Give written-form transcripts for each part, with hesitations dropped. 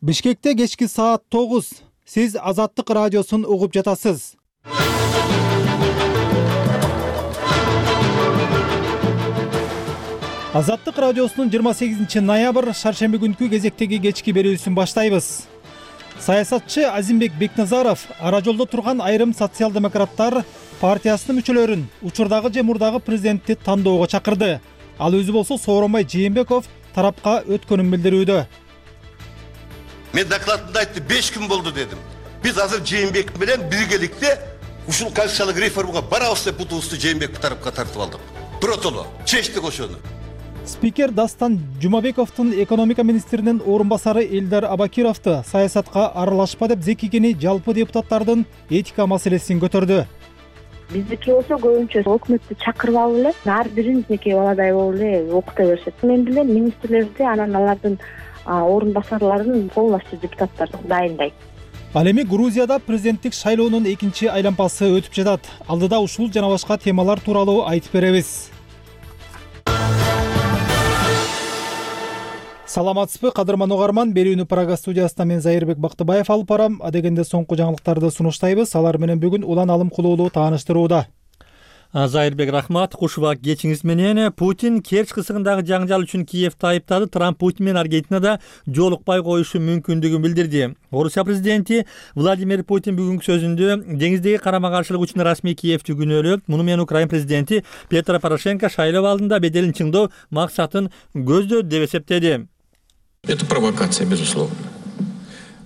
Бишкекте кечки саат 9. Сиз Азаттык радиосун угуп жатасыз. Азаттык радиосунун 28 ноябрь шаршемби күнкү кезектеги кечки берүүсүн баштайбыз. Саясатчы Азимбек Бекназаров ара жолдо турган айрым социал-демократтар партиясынын мүчөлөрүн учурдагы же мурдагы президентти тандоого чакырды. Ал өзү болсо Сооронбай Жээнбеков тарапка өткөнүн билдирүүдө. Мен докладымда айтты, 5 күн болду дедим. Биз азыр Жээнбек менен биргеликте ушул конституциялык реформага барабыз деп бутубузду Жээнбек тарапка тартып алдык. Биротоло чечтик ошону. Спикер Дастан Жумабековдун экономика министринин орун басары Элдар Абакировду саясатка аралашпа деп Зекигени жалпы депутаттардын этика маселесин көтөрдү. Биздики болсо көбүнчө өкмөттү чакырбап эле ар бирибизники баладай болуп эле окута беришет. Мен билем министрлерди, анан алардын орун басарларын полностью депутаттар дайындайт. Ал эми Грузияда президенттик шайлоонун экинчи айлампасы өтүп жатат. Алдыда ушул жана башка темалар тууралуу айтып беребиз. Саламатсызбы, кадырман угарман. Берүүнү Прага студиясында мен Зайырбек Бактыбаев алып барам. Адегенде соңку жаңылыктарды сунуштайбыз. Алар менен бүгүн Улан Алым Кулуулу тааныштырууда. Зайырбек рахмат. Куш убак кечиңиз менен. Путин Керчь кысыгындагы жаңжал үчүн Киевди айыптады. Трамп Путин менен Аргентинада жолукпай коюшу мүмкүндүгүн билдирди. Орусия президенти Владимир Путин бүгүнкү сөзүндө деңиздеги карама-каршылык үчүн расмий Киевди күнөөлөп, муну менен Украина президенти Петро Порошенко шайлоо алдында беделин чыңдоо максатын көздөдү деп эсептеди. Это провокация, безусловно.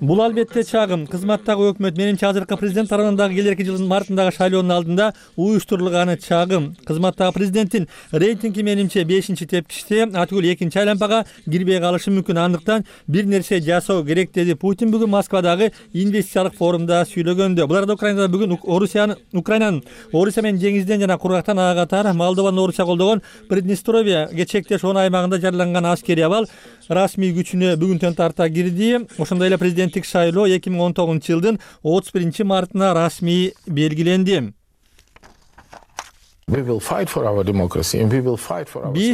Бул албетте чагым. Кызматтагы өкмөт менимче азыркы президент тарабындагы келерки жылдын мартындагы шайлоонун алдында уюштурулганы чагым. Кызматтагы президенттин рейтинги менимче 5-тепкичте, атүгүл 2-чи айлампага кирбей калышы мүмкүн. Андыктан бир нерсе жасоо керек деди Путин бүгүн Москвадагы инвестициялык форумда сүйлөгөндө. Булар да Украинада бүгүн Украинанын Орусия менен деңизден жана кургактан ага катар Молдованын Орусия колдогон Приднестровьеге чектеш 10 аймагында жарыяланган аскерий абал расмий күчүнө бүгүнтөн тарта кирди. Ошондой эле президенттик шайлоо 2019-жылдын 31-мартына расмий белгиленди. Биз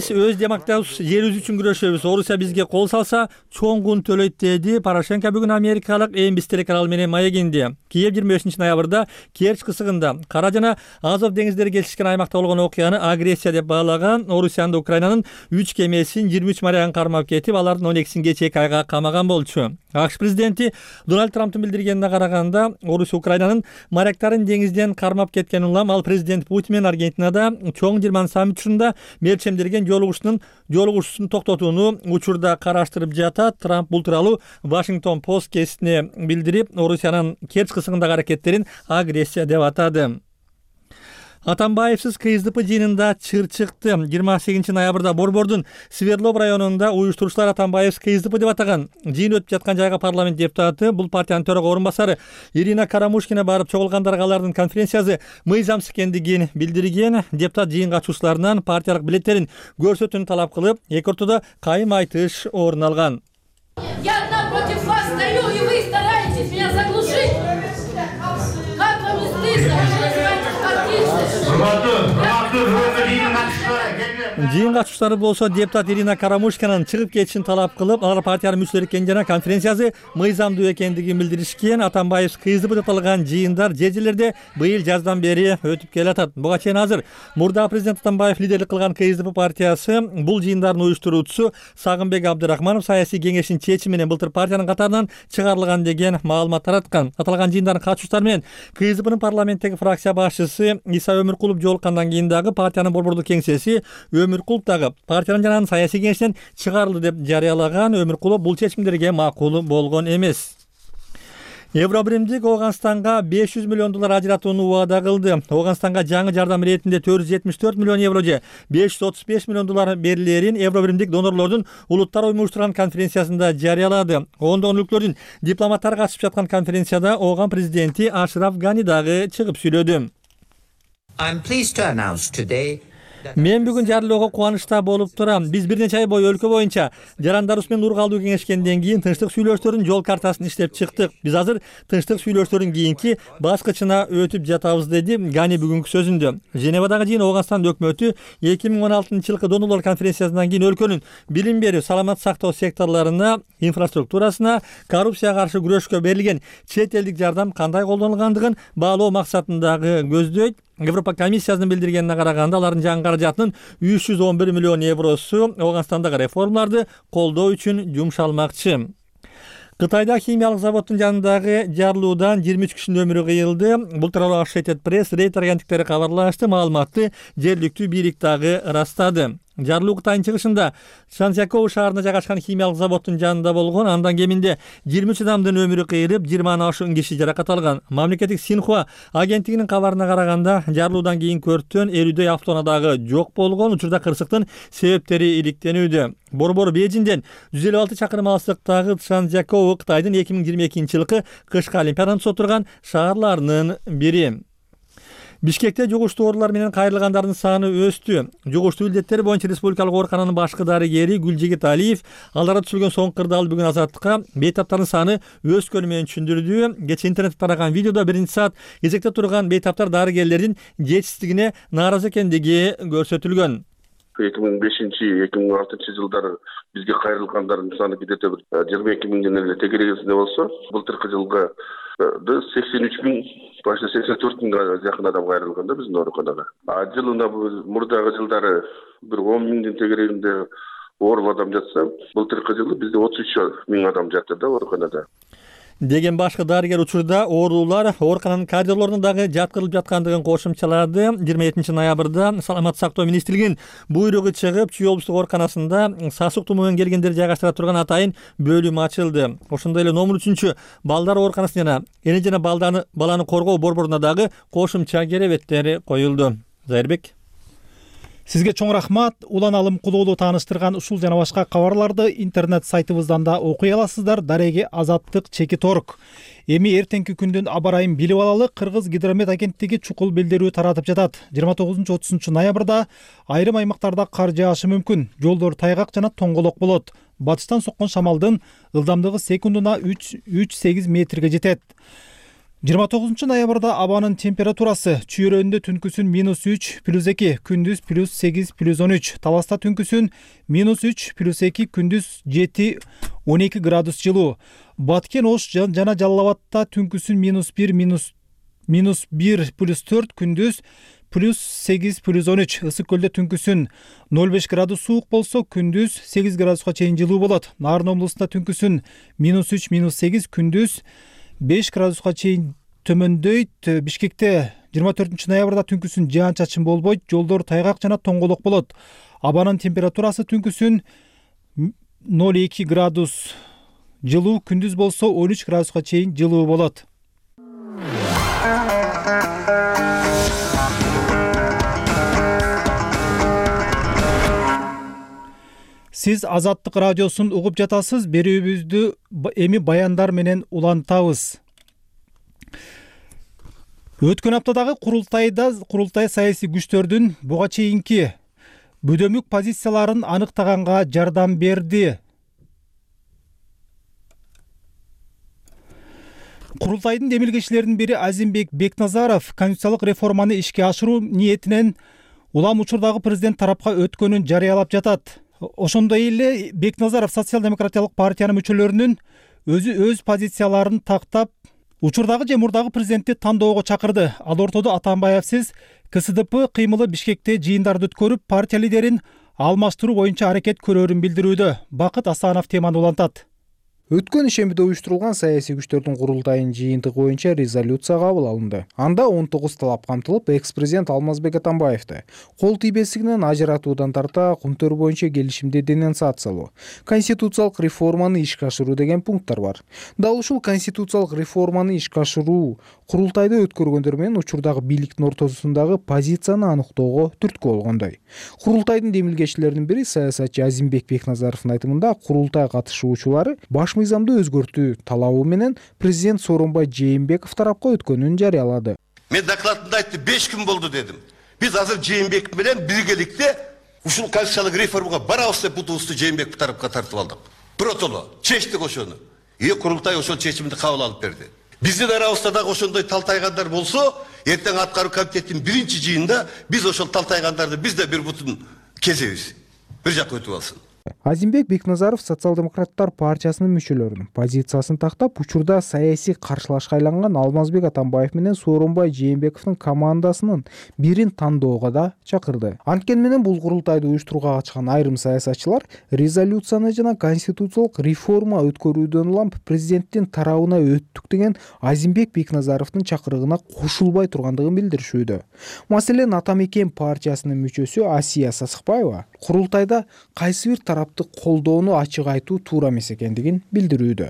өз демократиябыз жерибиз үчүн күрөшөбүз. Орусия бизге кол салса, чоң кун төлөйт деди Порошенко бүгүн америкалык NBC телеканалы менен маегинде. Киев 25-ноябрда Керчь кысыгында Кара жана Азов деңиздери келишкен аймакта болгон окуяны агрессия деп баалаган. Орусиянын Украинанын 3 кемесин 23 морягын кармап кетип, алардын 12-син кечээ 2 айга камаган болчу. АКШ президенти Дональд Трамптын билдиргенине караганда, Орусия Украинанын моряктарын деңизден кармап кеткен улам, ал президент Путин менен Аргентинада чоң Жирман саммит учурунда мерчемдерген жолугушуусун токтотууну учурда караштырып жатат. Трамп бул тууралуу Washington Post гезитине билдирип, Орусиянын Керчь кысыгындагы аракеттерин агрессия деп атады. Атамбаевсиз КСДП жыйынында чыр чыкты. 28 ноябрда Борбордун Свердлов районунда уюштуруучулар Атамбаевсиз КСДП деп атаган жыйын өтүп жаткан жайга парламент депутаты, бул партиянын төрага орун басары Ирина Карамушкина барып чогулгандарга алардын конференциясы мыйзамсыз экендигин билдирген. Депутат жыйын катышуучуларынан партиялык билеттерин көрсөтүүнү талап кылып, эки ортодо кайым айтыш орун алган. Я одна против вас стою, и вы стараетесь меня заглушить. Как вам не стыдно? Жыйын катышуучулары болсо депутат Ирина Карамушкинанын чыгып кетишин талап кылып, алар партиянын мүчөлөрү экенин жана конференциясы мыйзамдуу экендигин билдиришкен. Атамбаев КСДП деп аталган жыйындар жерлерде быйыл жаздан бери өтүп келатат. Буга чейин азыр мурдагы президент Атамбаев лидерлик кылган КСДП партиясы бул жыйындардын уюштуруучусу Сагынбек Абдырахманов саясий кеңештин чечими менен былтыр партиянын катарынан чыгарылган деген маалымат тараткан. Аталган жыйындардын катышуучулары менен КСДПнын парламенттеги фракция башчысы Иса Өмүркулов жолуккандан кийин дагы партиянын борбордук кеңсеси Өмүркулов дагы партиянын жана саясий кеңештен чыгарылды деп жарыялаган. Өмүркулов бул чечимдерге макул болгон эмес. Евробиримдик Ооганстанга $500 миллион ажыратууну убада кылды. Ооганстанга жаңы жардам иретинде $474 миллион евро же $535 миллион берилерин Евробиримдик донорлордун улуттар уюштурган конференциясында жарыялады. Ондогон өлкөлөрдүн дипломаттары катышып жаткан конференцияда Ооган президенти Ашраф Гани дагы чыгып сүйлөдү. I'm pleased to announce today Мен бүгүн жарлоого кубанычта болуп турам. Биз бир нече ай бою өлкө боюнча жарандарыбыз менен ургалуу кеңешкенден кийин тынчтык сүйлөшүүлөрдүн жол картасын иштеп чыктык. Биз азыр тынчтык сүйлөшүүлөрдүн кийинки баскычына өтүп жатабыз, деди Гани бүгүнкү сөзүндө. Женевадагы жыйын Ооганстан өкмөтү 2016-жылкы донорлор конференциясынан кийин өлкөнүн билим берүү, саламат сактоо секторлоруна, инфраструктурасына, коррупцияга каршы күрөшкө берилген чет элдик жардам кандай колдонулгандыгын баалоо максатындагы көздөйт. Европа комиссиясынын билдиргенине караганда, алардын жаңы каражатынын 311 миллион евросу Ооганстандагы реформаларды колдоо үчүн жумшалмакчы. Кытайда химиялык заводдун жанындагы жарылуудан 23 кишинин өмүрү кыйылды. Бул тууралуу Associated Press, Рейтер агенттиктери кабарлашты. Маалыматты жергиликтүү бийлик дагы ырастады. Жарылуу Кытайдын чыгышында Шанцзякоу шаарында жайгашкан химиялык заводдун жанында болгон. Андан кеминде 23 адамдын өмүрү кыйылып, 20 ашуун киши жаракат алган. Мамлекеттик Синхуа агенттигинин кабарына караганда, жарылуудан кийинки өрттөн 50дөй автоунаадагы жок болгон. Учурда кырсыктын себептери иликтенүүдө. Борбор Бейжиңден 156 чакырым алыстыктагы Шанцзякоу Кытайдын 2022-жылкы кышкы олимпиаданы отурган шаарларынын бири. Бишкекте жугуштуу оорулар менен кайрылгандардын саны өстү. Жугуштуу илдеттер боюнча республикалык оорукананын башкы дарыгери Гүлжигит Алиев аларда түшүлгөн соңку кырдаал бүгүн Азаттыкка бейтаптардын саны өскөнү менен түшүндүрдү. Кечээ интернетте тараган видеодо 1-саат кезекте турган бейтаптар дарыгерлердин жетишсиздигине нааразы экендиги көрсөтүлгөн. 2005-2006 жылдары бизге кайрылгандардын саны где-то 22 миңден эле тегерегинде болсо, былтыркы жылга 83 миң, башта 84 миңге жакын адам кайрылган да биздин ооруканага. Жылына мурдагы жылдары бир 10 миңдин тегерегинде ооруп адам жатса, былтыркы жылы бизде 33 миң адам жатты да ооруканада. Деген башкы дарыгер учурда оорулар оорукананын коридорлоруна дагы жаткырылып жаткандыгын кошумчалады. 27 ноябрда Саламат сактоо министрлигинин буйругу чыгып, Чүй облустук ооруканасында сасык тумоо менен келгендерди жайгаштыра турган атайын бөлүм ачылды. Ошондой эле номер 3 балдар ооруканасы жана эне жана баланы коргоо борборуна дагы кошумча керебеттер коюлду. Зайырбек. Сизге чоң рахмат. Улан Алым Кулуулу тааныштырган ушул жана башка кабарларды интернет сайтыбыздан да окуй аласыздар. Дареги Азаттык.org. Эми эртеңки күндүн аба ырайын билип алалы. Кыргыз гидромет агенттиги чукул билдирүү таратып жатат. 29-30 ноябрда айрым аймактарда кар жаашы мүмкүн. Жолдор тайгак жана тоңголок болот. Батыштан соккон шамалдын ылдамдыгы секундуна 3-8 метрге жетет. 29 ноябрда абанын температурасы чүйрөндө түнкүсүн -3 +2, күндүз +8 +13, Таласта түнкүсүн -3 +2, күндүз 7-12 градус жылуу. Баткен, Ош жана Жалал Абадта түнкүсүн -1 +4, күндүз +8 +13, Ысык көлдө түнкүсүн 0,5 градус суук болсо, күндүз 8 градуска чейин жылуу болот. Нарын облусунда түнкүсүн -3 -8, күндүз 5 градуска чейин төмөндөйт. Бишкекте 24 ноябрда түнкүсүн жаан-чачын болбойт, жолдор тайгак жана тоңголок болот. Абанын температурасы түнкүсүн 0,2 градус жылуу, күндүз болсо 13 градуска чейин жылуу болот. Сиз Азаттык радиосун угуп жатасыз. Берүүбүздү эми баяндар менен улантабыз. Өткөн аптадагы курултай саясий күчтөрдүн буга чейинки бүдөмүк позицияларын аныктаганга жардам берди. Курултайдын демилгечилеринин бири Азимбек Бекназаров конституциялык реформаны ишке ашыруу ниетинен улам учурдагы президент тарапка өткөнүн жарыялап жатат. Ошондой эле Бекназаров социал-демократиялык партиянын мүчөлөрүнүн өз позицияларын тактап, учурдагы же мурдагы президентти тандоого чакырды. Ал ортодо Атамбаевсиз КСДП кыймылы Бишкекте жыйындарды өткөрүп, партия лидерин алмаштыруу боюнча аракет көрөрүн билдирүүдө. Бакыт Асанов теманы улантат. Өткөн ишембиде уюштурулган саясий күчтөрдүн курултайынын жыйынтыгы боюнча резолюция кабыл алынды. Анда 19 талап камтылып, экс-президент Алмазбек Атамбаевди кол тийбестигинен ажыратуудан тарта кумтөр боюнча келишимди денонсациялоо, конституциялык реформаны ишке ашыруу деген пункттар бар. Дал ушул конституциялык реформаны ишке ашыруу курултайды өткөргөндөр менен учурдагы бийликтин ортосундагы позицияны аныктоого түрткү болгондой. Курултайдын демилгечилеринин бири саясатчы Азимбек Бекназаровдун айтымында, курултай катышуучулары баш мыйзамды өзгөртүү талабы менен президент Сооронбай Жээнбеков тарапка өткөнүн жарыялады. Мен докладымда айтты, 5 күн болду дедим. Биз азыр Жээнбеков менен биргеликте ушул конституциялык реформага барабыз деп бутубузду Жээнбеков тарапка тартып алдык. Биротоло чечтик ошону. Курултай ошол чечимди кабыл алып берди. Биздин арабызда дагы ошондой талтайгандар болсо, эртең аткаруу комитеттин биринчи жыйынында биз ошол талтайгандарды биз да бир бутун кезебиз. Бир жакка өтүп алсын. Азимбек Бекназаров социал-демократтар партиясынын мүчөлөрүнүн позициясын тактап, учурда саясий каршылашка айланган Алмазбек Атамбаев менен Сооронбай Жээнбековдун командасынын бирин тандоого да чакырды. Анткени менен бул курултайды уюштурууга катышкан айрым саясатчылар резолюцияны жана конституциялык реформа өткөрүүдөн улам президенттин тарабына өттүк деген Азимбек Бекназаровдун чакырыгына кошулбай тургандыгын билдиришүүдө. Маселен, Атамекен партиясынын мүчөсү Асия Сасыкбаева курултайда кайсы бир тарапты колдоону ачык айтуу туура эмес экендигин билдирүүдө.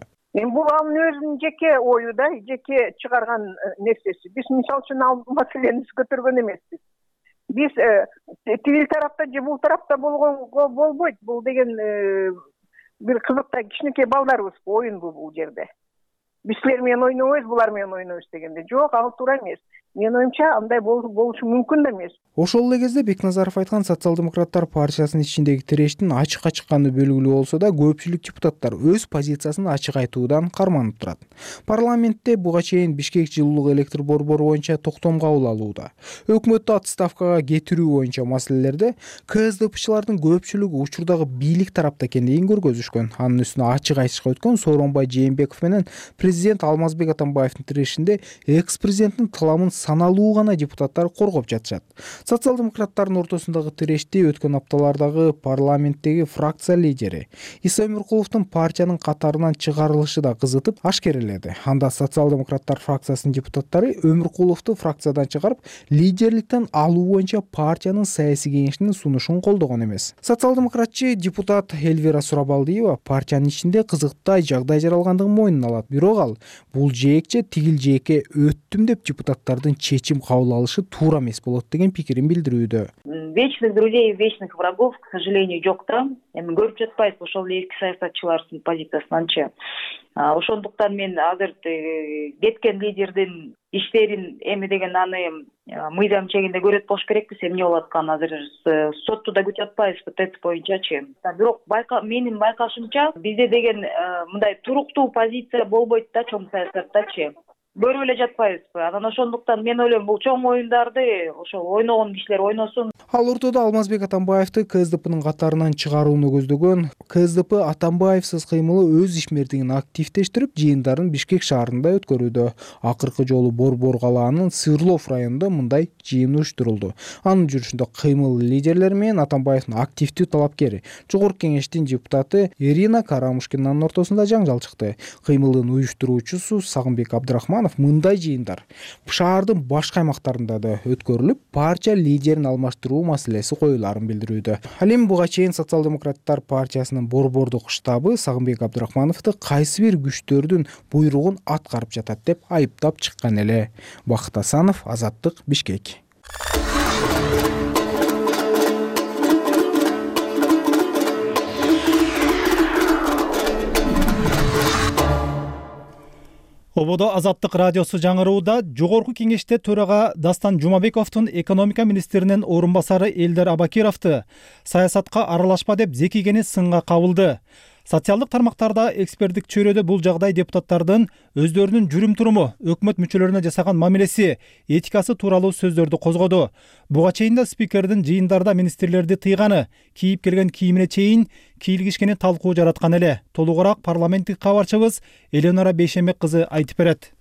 Бул анын өзүнүн жеке ою да, жеке чыгарган нерсеси. Биз мисалы үчүн ал маселени көтөргөн эмеспиз. Биз тигил тарапта же бул тарапта болгонго болбойт. Бул деген бир кызыктай кичинекей балдарыбыз оюн бул жерде. Биз силер менен ойнобойбуз, булар менен ойнойбуз дегенде. Жок, ал туура эмес. Менин оюмча андай болушу мүмкүн да эмес. Ошол эле кезде Бекназаров айткан социал-демократтар партиясынын ичиндеги тирештин ачыкка чыкканы белгилүү болсо да, көпчүлүк депутаттар өз позициясын ачык айтуудан карманып турат. Парламентте буга чейин Бишкек жылуулук электр борбору боюнча токтом кабыл алууда, өкмөттү отставкага кетирүү боюнча маселелерде КСДПчылардын көпчүлүгү учурдагы бийлик тарапта экендигин көргөзүшкөн. Анын үстүнө ачык айтышка өткөн Сооронбай Жээнбеков менен президент Алмазбек Атамбаевдин тирешинде экс-президенттин каламын саналуу гана депутаттар коргоп жатышат. Социал-демократтардын ортосундагы тирешти өткөн апталардагы парламенттеги фракция лидери Иса Өмүркуловдун партиянын катарынан чыгарылышы да кызытып ашкереледи. Анда социал-демократтар фракциясынын депутаттары Өмүркуловду фракциядан чыгарып, лидерликтен алуу боюнча партиянын саясий кеңешинин сунушун колдогон эмес. Социал-демократчы депутат Эльвира Сурабалдиева партиянын ичинде кызыктай жагдай жаралгандыгын мойнуна алат. Бирок ал бул жээкче тигил жээкке өттүм деп депутаттардын чечим кабыл алышы туура эмес болот деген пикирин билдирүүдө. Вечных друзей и вечных врагов, к сожалению, жок да. Эми көрүп жатпайбыз ошол эски саясатчылардын позициясынанчы. Ошондуктан мен азыр кеткен лидердин иштерин эми деген аны мыйзам чегинде көрөт болуш керекпиз. Эмне болуп атканын азыр сотту да күтүп атпайбызбы, ТЭЦ боюнчачы. Бирок менин байкашымча бизде деген мындай туруктуу позиция болбойт да чоң саясаттачы. Көрүп эле жатпайбызбы. Анан ошондуктан мен ойлойм, бул чоң оюндарды ошол ойногон кишилер ойносун. Ал ортодо Алмазбек Атамбаевди КСДПнын катарынан чыгарууну көздөгөн КСДП Атамбаевсиз кыймылы өз ишмердигин активдештирип, жыйындарын Бишкек шаарында өткөрүүдө. Акыркы жолу Борбор калаанын Сырлов районунда мындай жыйын уюштурулду. Анын жүрүшүндө кыймыл лидерлери менен Атамбаевдин активдүү талапкери, Жогорку кеңештин депутаты Ирина Карамушкинанын ортосунда жаңжал чыкты. Кыймылдын уюштуруучусу Сагынбек Абдрахманов мындай жыйындар шаардын башка аймактарында да өткөрүлүп, партия лидерин алмаштыруу маселеси коюларын билдирүүдө. Ал эми буга чейин социал-демократтар партиясынын Борбордук штабы Сагынбек Абдрахмановду кайсы бир күчтөрдүн буйругун аткарып жатат деп айыптап чыккан эле. Бакыт Асанов, Азаттык, Бишкек. Ободо Азаттык радиосу жаңырууда Жогорку кеңеште төрага Дастан Жумабековдун экономика министринин орун басары Элдар Абакировду саясатка аралашпа деп зекигени сынга кабылды. Социалдык тармактарда эксперттик чөйрөдө бул жагдай депутаттардын өздөрүнүн жүрүм-туруму, өкмөт мүчөлөрүнө жасаган мамилеси, этикасы тууралуу сөздөрдү козгоду. Буга чейин да спикердин жыйындарда министрлерди тыйганы, кийип келген кийимине чейин кийлигишкени талкуу жараткан эле. Толугураак парламенттик кабарчыбыз Эленора Бейшембек кызы айтып берет.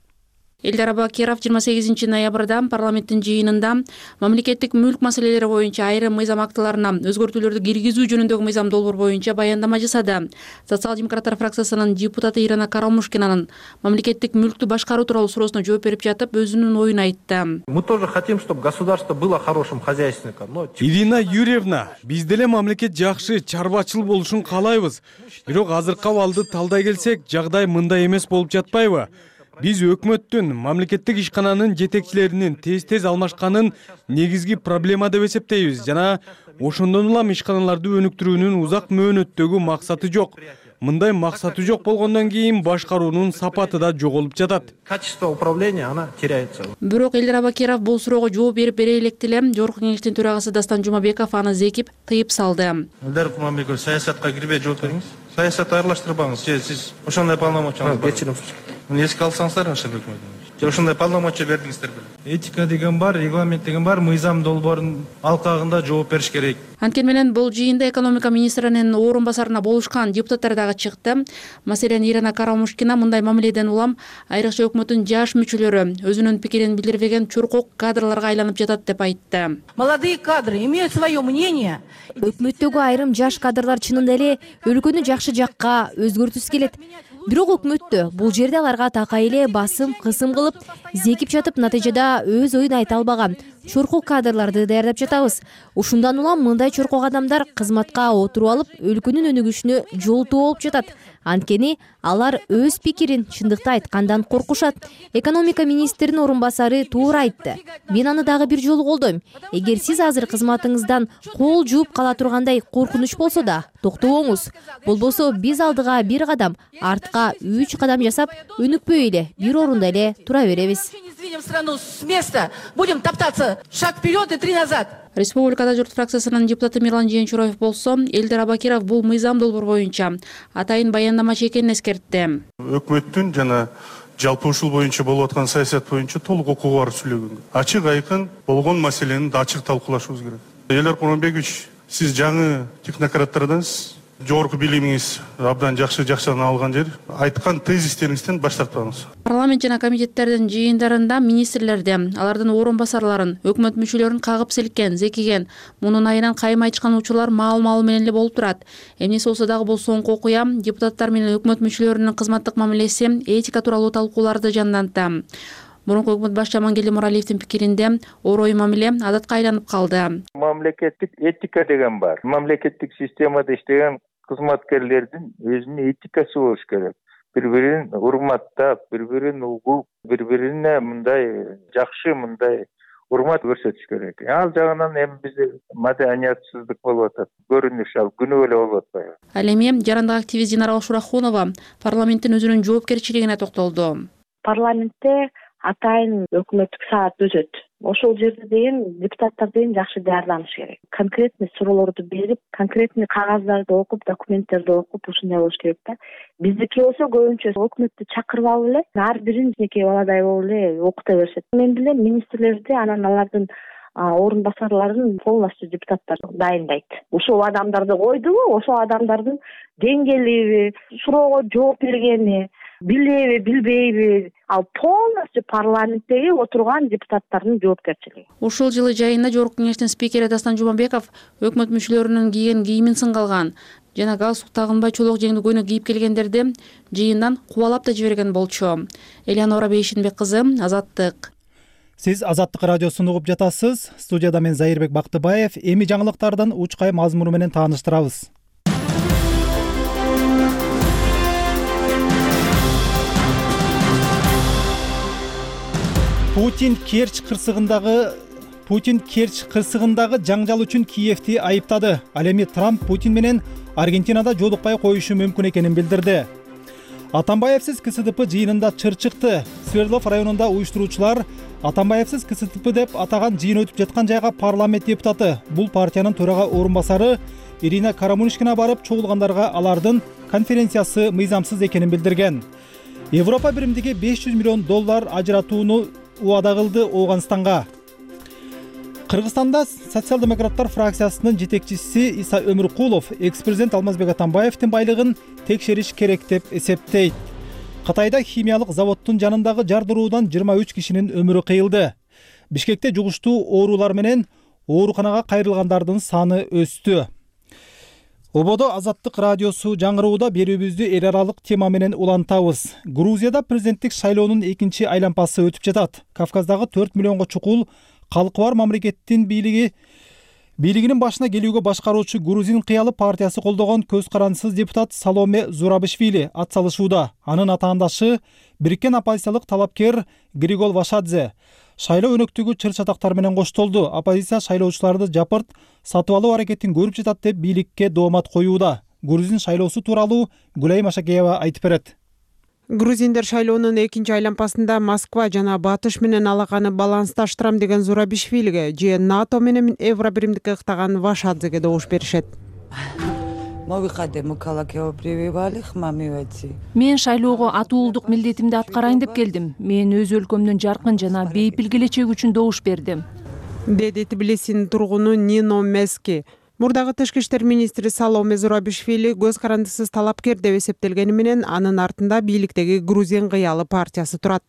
Элдар Абакиров 28 ноябрда парламенттин жыйынында мамлекеттик мүлк маселелери боюнча айрым мыйзам актыларына өзгөртүүлөрдү киргизүү жөнүндөгү мыйзам долбоор боюнча баяндама жасады. Социал-демократтар фракциясынын депутаты Ирина Карамушкинанын мамлекеттик мүлктү башкаруу тууралуу суроосуна жооп берип жатып, өзүнүн оюн айтты. Мы тоже хотим, чтобы государство было хорошим хозяйственником. Ирина Юрьевна, биз деле мамлекет жакшы чарбачыл болушун каалайбыз. Бирок азыркы абалды талдай келсек, жагдай мындай эмес болуп жатпайбы? Биз өкмөттүн, мамлекеттик ишкананын жетекчилеринин тез алмашканын негизги проблема деп эсептейбиз жана ошондон улам ишканаларды өнүктүрүүнүн узак мөөнөттөгү максаты жок. мындай максаты жок болгондон кийин башкаруунун сапаты да жоголуп жатат. Качество управления, она теряется. Бирок Элдер Абакиров бул суроого жооп бере элек деле Жогорку Кеңештин төрагасы Дастан Жумабеков аны зекип тыйып салды. Элдер Курманбеков, саясатка кирбей жооп бериңиз. Саясатты аралаштырбаңыз. Сиз ошондой полномочияңыз бар. Кечирим. Эске алсаңыздар, ошондой полномочия бердиңиздер беле. Этика деген бар, регламент деген бар, мыйзам долбоорунун алкагында жооп бериш керек. Анткени менен бул жыйында экономика министринин орун басарына болушкан депутаттар дагы чыкты. Маселен, Ирина Карамушкина мындай мамиледен улам айрыкча өкмөттүн жаш мүчөлөрү өзүнүн пикирин билдирбеген чуркок кадрларга айланып жатат деп айтты. Молодые кадры имеют свое мнение. Өкмөттөгү айрым жаш кадрлар чынында эле өлкөнү жакшы жакка өзгөртүүсү келет. Бирок өкмөттө бул жерде аларга такай эле басым, кысым кылып, зекип жатып, натыйжада өз оюн айта албаган чуркок кадрларды даярдап жатабыз. Ушундан улам мындай чуркок адамдар кызматка отуруп алып, өлкөнүн өнүгүшүнө жолтоо болуп жатат. Анткени алар өз пикирин чындыкты айткандан коркушат. Экономика министринин орун басары туура айтты. Мен аны дагы бир жолу колдойм. Эгер сиз азыр кызматыңыздан кол жууп кала тургандай коркунуч болсо да, токтобоңуз. Болбосо биз алдыга бир кадам, артка 3 кадам жасап, өнүкпөй эле бир орунда эле тура беребиз. Сдвинем страну с места, будем топтаться шаг вперед и 3 назад. Республикада журт фракциясынын депутаты Мирлан Жээнчуроев болсо, Элдер Абакиров бул мыйзам долбоор боюнча атайын баяндамачы экенин эскертти. Өкмөттүн жана жалпы ушул боюнча болуп аткан саясат боюнча толук укугу бар сүйлөгөнгө. Ачык айкын болгон маселени да ачык талкуулашыбыз керек. Элдер Курманбекович, сиз жаңы технократтардансыз. Жогорку билимиңиз абдан жакшы алган жер. Айткан тезистериңизден баш тартпаңыз. Парламент жана комитеттердин жыйындарында министрлерди, алардын орун басарларын, өкмөт мүчөлөрүн кагып силкен, зекиген, мунун айынан кайым айтышкан учурлар маал менен эле болуп турат. Эмнеси болсо дагы бул соңку окуя депутаттар менен өкмөт мүчөлөрүнүн кызматтык мамилеси, этика тууралуу талкууларды жандантты. Мурунку өкмөт башчы Амангелди Муралиевдин пикиринде орой мамиле адатка айланып калды. Мамлекеттик этика деген бар. Мамлекеттик системада иштеген кызматкерлердин өзүнүн этикасы болуш керек. Бири-бирин урматтап, бири-бирин угуп, бири-бирине мындай жакшы, мындай урмат көрсөтүш керек. Ал жагынан эми бизде маданиятсыздык болуп атат. Көрүнүш ал күнөө эле болуп атпайбы? Ал эми жарандык активист Динара Ошурахунова парламенттин өзүнүн жоопкерчилигине токтолду. Парламентте атайын өкмөттүк саат өтөт. Ошол жерде деген депутаттар деген жакшы даярданыш керек. Конкретный суроолорду берип, конкретный кагаздарды окуп, документтерди окуп, ушундай болуш керек да. Биздики болсо көбүнчө өкмөттү чакырып алып эле, ар бирин эки баладай болуп эле окута беришет. Мен билем министрлерди, анан алардын орун басарларын полностью депутаттар дайындайт. Ошол адамдарды койдубу, ошол адамдардын деңгээлиби, суроого жооп бергени, билеби, билбейби, ал полностью парламенттеги отурган депутаттардын жоопкерчилиги. Ушул жылы жайында Жогорку Кеңештин спикери Дастан Жумабеков өкмөт мүчөлөрүнүн кийген кийимин сынгалган жана галстук тагынбай чолок жеңдүү көйнөк кийип келгендерди жыйындан кубалап да жиберген болчу. Элеонора Бейшинбек кызы, Азаттык. Сиз Азаттык радиосун угуп жатасыз. Студияда мен Зайырбек Бактыбаев. Эми жаңылыктардын учкай мазмуну менен тааныштырабыз. Путин Керчь кырсыгындагы жаңжал үчүн Киевти айыптады. Ал эми Трамп Путин менен Аргентинада жолукпай коюшу мүмкүн экенин билдирди. Атамбаевсиз КСДП жыйынында чыр чыкты. Свердлов районунда уюштуруучулар Атамбаевсиз КСДП деп атаган жыйын өтүп жаткан жайга парламент депутаты, бул партиянын төрага орун басары Ирина Карамушкина барып чогулгандарга алардын конференциясы мыйзамсыз экенин билдирген. Европа биримдиги $500 миллион ажыратууну убада кылды Ооганстанга. Кыргызстанда социал-демократтар фракциясынын жетекчиси Иса Өмүркулов экс-президент Алмазбек Атамбаевдин байлыгын текшериш керек деп эсептейт. Кытайда химиялык заводдун жанындагы жардыруудан 23 кишинин өмүрү кыйылды. Бишкекте жугуштуу оорулар менен ооруканага кайрылгандардын саны өстү. Ободо Азаттык радиосу жаңырууда берүүбүздү эл аралык тема менен улантабыз. Грузияда президенттик шайлоонун экинчи айланпасы өтүп жатат. Кавказдагы 4 миллионго чукул калкы бар мамлекеттин бийлигинин башына келүүгө башкаруучу Грузин кыялы партиясы колдогон көз карандысыз депутат Саломе Зурабишвили ат салышууда. Анын атаандашы бириккен оппозициялык талапкер Григол Вашадзе шайлоо өнөктүгү чыр-чатактар менен коштолду. Оппозиция шайлоочуларды жапырт сатып алуу аракетин көрүп жатат деп бийликке доомат коюуда. Грузин шайлоосу тууралуу Гүлай Машакеева айтып берет. Грузиндер шайлоонун экинчи айлампасында Москва жана Батыш менен алаканы балансташтырам деген Зурабишвилиге же НАТО менен Евро биримдикке ыктаган Вашадзеге добуш беришет. Мен шайлоого атуулдук милдетимди аткарайын деп келдим. Мен өз өлкөмдүн жаркын жана бейпил келечеги үчүн добуш бердим, деди Тбилисинин тургуну Нино Мески. Мурдагы тышкы иштер министри Саломе Зурабишвили көз карандысыз талапкер деп эсептелгени менен анын артында бийликтеги Грузин кыялы партиясы турат.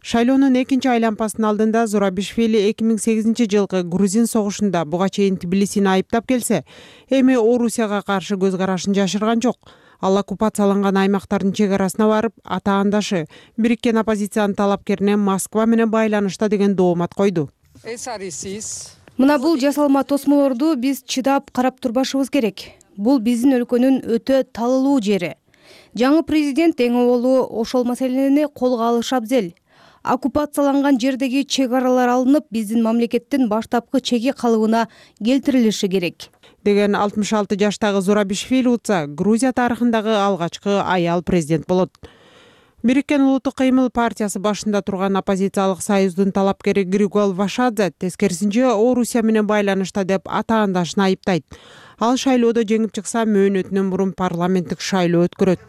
Шайлоонун экинчи айлампасынын алдында Зурабишвили 2008 жылкы Грузин согушунда буга чейин Тбилисини айыптап келсе, эми Орусияга каршы көз карашын жашырган жок. Ал оккупацияланган аймактардын чек арасына барып, атаандашы бириккен оппозициянын талапкерине Москва менен байланышта деген доомат койду. Мына бул жасалма тосмолорду биз чыдап карап турбашыбыз керек. Бул биздин өлкөнүн өтө талылуу жери. Жаңы президент эң оболу ошол маселени колго алышы абзел. Оккупацияланган жердеги чек аралар алынып, биздин мамлекеттин баштапкы чеги калыбына келтирилиши керек, деген 66 жаштагы Зурабишвили утса, Грузия тарыхындагы алгачкы аял президент болот. Бириккен улуттук кыймыл партиясы башында турган оппозициялык союздун талапкери Григол Вашадзе тескерисинче Орусия менен байланышта деп атаандашын айыптайт. Ал шайлоодо жеңип чыкса, мөөнөтүнөн мурун парламенттик шайлоо өткөрөт.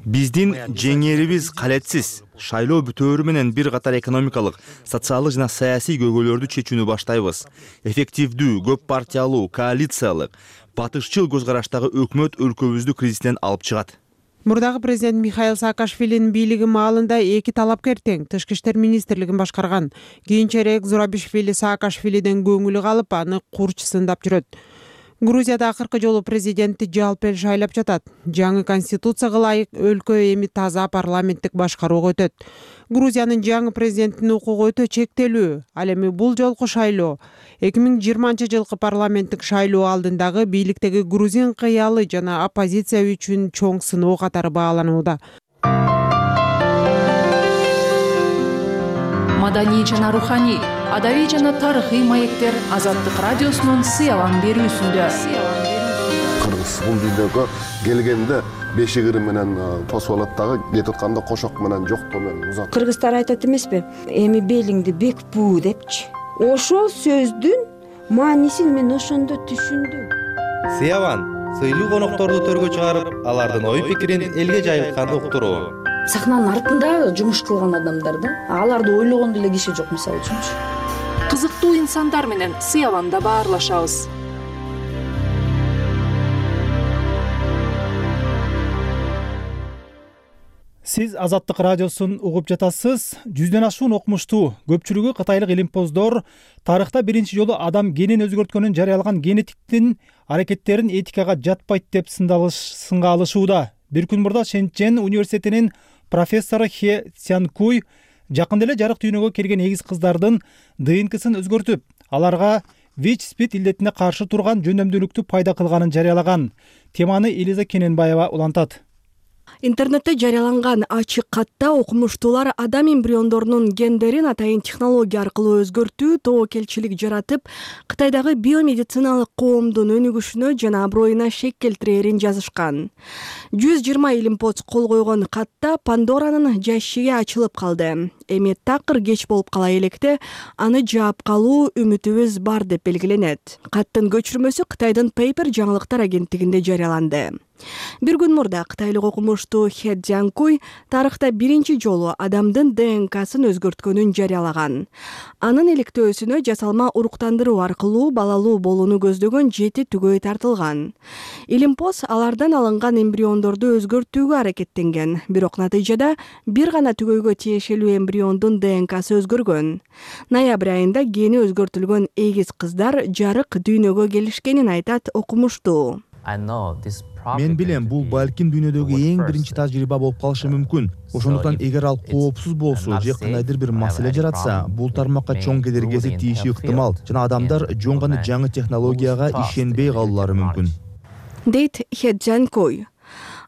Биздин жеңээрибиз калетсиз. Шайлоо бүтөөрү менен бир катар экономикалык, социалдык жана саясий көйгөйлөрдү чечүүнү баштайбыз. Эффективдүү, көп партиялуу, коалициялык, батышчыл көз караштагы өкмөт өлкөбүздү кризистен алып чыгат. Мурдагы президент Михаил Саакашвилинин бийлиги маалында эки талапкер тең тышкы иштер министрлигин башкарган. Кийинчерээк Зурабишвили Саакашвилиден көңүлү калып, аны курч сындап жүрөт. Грузияда акыркы жолу президентти жалпы эл шайлап жатат. Жаңы конституцияга ылайык өлкө эми таза парламенттик башкарууга өтөт. Грузиянын жаңы президентинин укугу өтө чектелүү. Ал эми бул жолку шайлоо 2020 жылкы парламенттик шайлоо алдындагы бийликтеги Грузин кыялы жана оппозиция үчүн чоң сыноо катары бааланууда. Маданий жана руханий, адабий жана тарыхый маектер Азаттык радиосунун сыялан берүүсүндө. Кыргыз бул дүйнөгө келгенде бешигири менен тосуп алат дагы, кетип атканда кошок менен жоктоо менен узат. Кыргыздар айтат эмеспи? Эми белиңди бек буу депчи. Ошол сөздүн маанисин мен ошондо түшүндүм. Сыяван сыйлуу конокторду төргө чыгарып, алардын ой пикирин элге жайылтканды уктуруу. Сахнанын артында жумуш кылган адамдар да, аларды ойлогон деле киши жок мисалы үчүнчү. Кызыктуу инсандар менен Сыяванда баарлашабыз. Сиз Азаттык радиосун угуп жатасыз. 100дөн ашуун окумуштуу, көпчүлүгү кытайлык илимпоздор тарыхта биринчи жолу адам генин өзгөрткөнүн жарыялаган генетиктин аракеттерин этикага жатпайт деп сынга алышууда. Бир күн мурда Шэньчжэн университетинин профессору Хе Цянкуй жакында эле жарык дүйнөгө келген эгиз кыздардын ДНКсын өзгөртүп, аларга ВИЧ-СПИД илдетине каршы турган жөнөмдүүлүктү пайда кылганын жарыялаган. Теманы Элиза Кененбаева улантат. Интернетте жарыяланган ачык катта окумуштуулар адам эмбриондорунун гендерин атайын технология аркылуу өзгөртүү тобокелчилик жаратып, Кытайдагы биомедициналык коомдун өнүгүшүнө жана аброюна шек келтирерин жазышкан. 120 илимпоз кол койгон катта Пандоранын жашиги ачылып калды. Эми такыр кеч болуп кала электе аны жаап калуу үмүтүбүз бар деп белгиленет. Каттын көчүрмөсү Кытайдын Paper жаңылыктар агенттигинде жарыяланды. Бир күн мурда кытайлык окумуштуу Хе Цзянкуй тарыхта биринчи жолу адамдын ДНКсын өзгөрткөнүн жарыялаган. Анын иликтөөсүнө жасалма уруктандыруу аркылуу балалуу болууну көздөгөн 7 түгөй тартылган. Илимпоз алардан алынган эмбриондорду өзгөртүүгө аракеттенген, бирок натыйжада бир гана түгөйгө тиешелүү эмбриондун ДНКсы өзгөргөн. Ноябрь айында гени өзгөртүлгөн эгиз кыздар жарык дүйнөгө келишкенин айтат окумуштуу. Мен билем, бул балким дүйнөдөгү эң биринчи тажрыйба болуп калышы мүмкүн. Ошондуктан эгер ал коопсуз болсо же кандайдыр бир маселе жаратса, бул тармакка чоң кедергиси тийиши ыктымал жана адамдар жөн гана жаңы технологияга ишенбей калуулары мүмкүн. Дейт Хе Цзянкуй.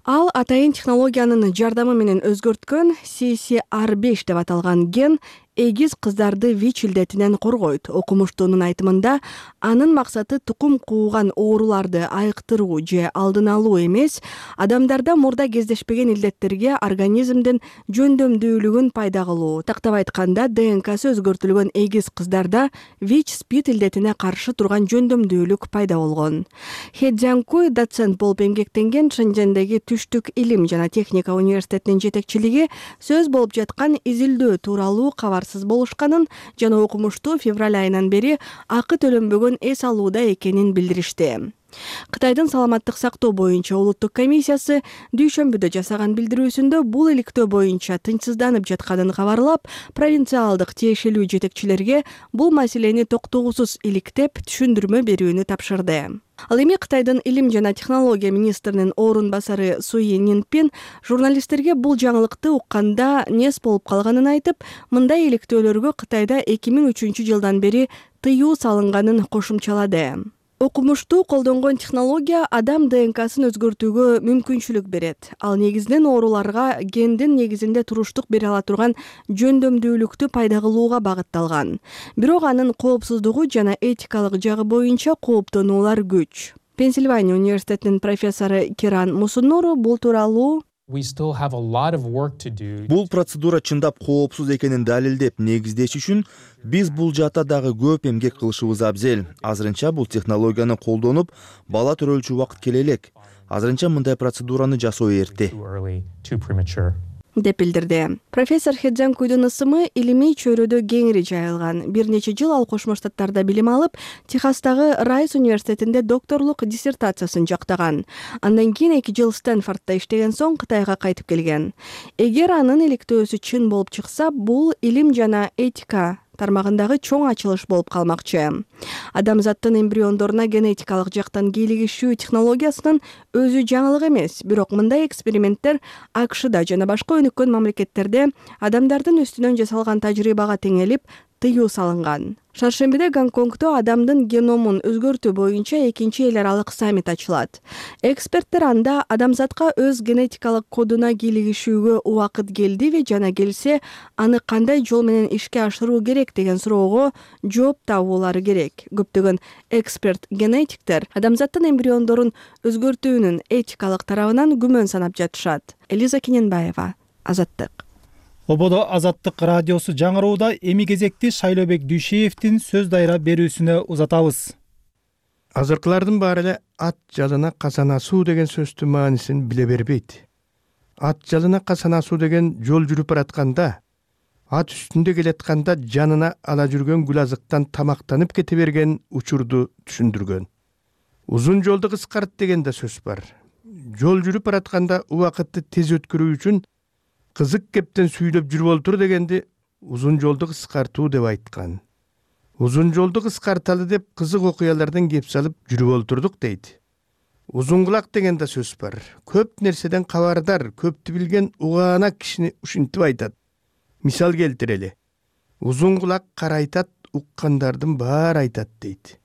Ал атайын технологиянын жардамы менен өзгөрткөн CCR5 деп аталган ген эгиз кыздарды ВИЧ илдетинен коргойт. Окумуштуунун айтымында анын максаты тукум кууган ооруларды айыктыруу же алдын алуу эмес, адамдарда мурда кездешпеген илдеттерге организмдин жөндөмдүүлүгүн пайда кылуу. Тактап айтканда, ДНКсы өзгөртүлгөн эгиз кыздарда ВИЧ-СПИД илдетине каршы турган жөндөмдүүлүк пайда болгон. Хэ Цзянкуй доцент болуп эмгектенген Шэньчжэндеги Түштүк илим жана техника университетинин жетекчилиги сөз болуп жаткан изилдөө тууралуу кабарсыз болушканын жана окумуштуу февраль айынан бери акы төлөнбөгөн эс алууда экенин билдиришти. Кытайдын саламаттык сактоо боюнча улуттук комиссиясы дүйшөмбүдө жасаган билдирүүсүндө бул иликтөө боюнча тынчсызданып жатканын кабарлап, провинциалдык тиешелүү жетекчилерге бул маселени токтоосуз иликтеп түшүндүрмө берүүнү тапшырды. Ал эми Кытайдын илим жана технология министринин орун басары Суи Нинпин журналисттерге бул жаңылыкты укканда нес болуп калганын айтып, мындай иликтөөлөргө Кытайда 2003 жылдан бери тыюу салынганын кошумчалады. Окумуштуу колдонгон технология адам ДНКсын өзгөртүүгө мүмкүнчүлүк берет. Ал негизинен ооруларга гендин негизинде туруштук бере ала турган жөндөмдүүлүктү пайда кылууга багытталган. Бирок анын коопсуздугу жана этикалык жагы боюнча кооптонуулар күч. Пенсильвания университетинин профессору Киран Мусуннуру бул тууралуу Бул процедура чындап коопсуз экенин далилдеп негиздеш үчүн биз бул жаатта дагы көп эмгек кылышыбыз абзел. Азырынча бул технологияны колдонуп, бала төрөлчү убакыт келе элек. Азырынча мындай процедураны жасоо эрте, деп билдирди. Профессор Хэ Цзянкуйдун ысымы илимий чөйрөдө кеңири жайылган. Бир нече жыл ал Кошмо Штаттарда билим алып, Техастагы Райс университетинде докторлук диссертациясын жактаган. Андан кийин 2 жыл Стэнфордда иштеген соң Кытайга кайтып келген. Эгер анын иликтөөсү чын болуп чыкса, бул илим жана этика тармагындагы чоң ачылыш болуп калмакчы. Адамзаттын эмбриондоруна генетикалык жактан кийлигишүү технологиясынын өзү жаңылык эмес, бирок мындай эксперименттер АКШда жана башка өнүккөн мамлекеттерде адамдардын үстүнөн жасалган тажрыйбага теңелип, тыюу салынган. Шаршембиде Гонконгдо адамдын геномун өзгөртүү боюнча 2-чи эл аралык саммит ачылат. Эксперттер анда адамзатка өз генетикалык кодуна кийлигишүүгө убакыт келдиби жана келсе, аны кандай жол менен ишке ашыруу керек деген суроого жооп табуулары керек. Көптөгөн эксперт-генетиктер адамзаттын эмбриондорун өзгөртүүнүн этикалык тарабынан күмөн санап жатышат. Элиза Кененбаева, Азаттык. Ободо Азаттык радиосу жаңырууда, эми кезекти Шайлообек Дүйшеевдин сөз дайра берүүсүнө узатабыз. Азыркылардын баары эле ат жалына касанасуу деген сөздүн маанисин биле бербейт. Ат жалына касанасуу деген жол жүрүп баратканда, ат үстүндө келатканда жанына ала жүргөн гүл азыктан тамактанып кете берген учурду түшүндүргөн. Узун жолду кыскарт деген да сөз бар. Жол жүрүп баратканда убакытты тез өткөрүү үчүн кызык кептен сүйлөп жүрүп олтур дегенди узун жолду кыскартуу деп айткан. Узун жолду кыскарталы деп кызык окуялардан кеп салып жүрүп олтурдук дейт. Узун кулак деген да сөз бар. Көп нерседен кабардар, көптү билген угаана кишини ушинтип айтат. Мисал келтирели. Узун кулак карайтат, уккандардын баары айтат дейт.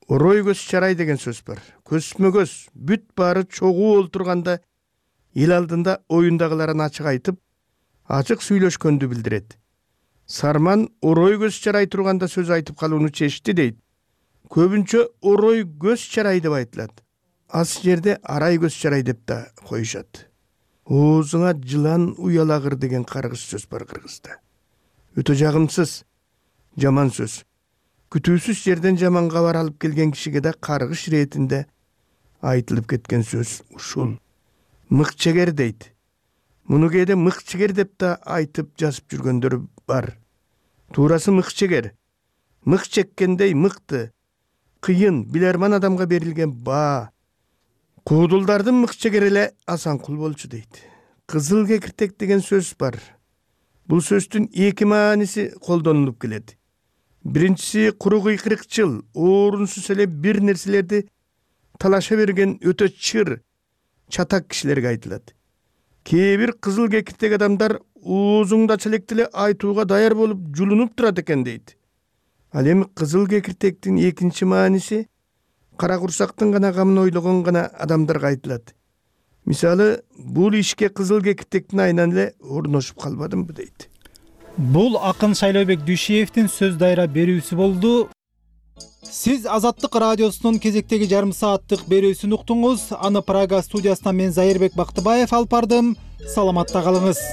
Орой көз чарай деген сөз бар. Көзмө көз, бүт баары чогуу олтурганда эл алдында оюндагыларын ачык айтып, ачык сүйлөшкөндү билдирет. Сарман орой көз чарай турганда сөз айтып калууну чечти дейт. Көбүнчө орой көз чарай деп айтылат. Аз жерде арай көз чарай деп да коюшат. Оозуңа жылан уялагыр деген каргыш сөз бар кыргызда. Өтө жагымсыз, жаман сөз. Күтүүсүз жерден жаман кабар алып келген кишиге да каргыш иретинде айтылып кеткен сөз ушул. Мыкчегер дейт. Муну кээде мыкчегер деп да айтып жазып жүргөндөр бар. Туурасы мыкчегер. Мык чеккендей мыкты, кыйын, билерман адамга берилген баа. Куудулдардын мыкчегери эле Асанкул болчу дейт. Кызыл кекиртек деген сөз бар. Бул сөздүн 2 мааниси колдонулуп келет. Биринчиси куру кыйкырыкчыл, орунсуз эле бир нерселерди талаша берген өтө чыр, чатак кишилерге айтылат. Кээ бир кызыл кекиртек адамдар оозуңдача электе эле айтууга даяр болуп жулунуп турат экен дейт. Ал эми кызыл кекиртектин 2-чи мааниси кара курсактын гана камын ойлогон гана адамдарга айтылат. Мисалы, бул ишке кызыл кекиртектин айынан эле орношуп калбадымбы дейт. Бул акын Шайлообек Дүйшиевдин сөз дайра берүүсү болду. Сиз Азаттык радиосунун кезектеги жарым сааттык берүүсүн уктуңуз. Аны Прага студиясынан мен Зайырбек Бактыбаев алып бардым. Саламатта калыңыз.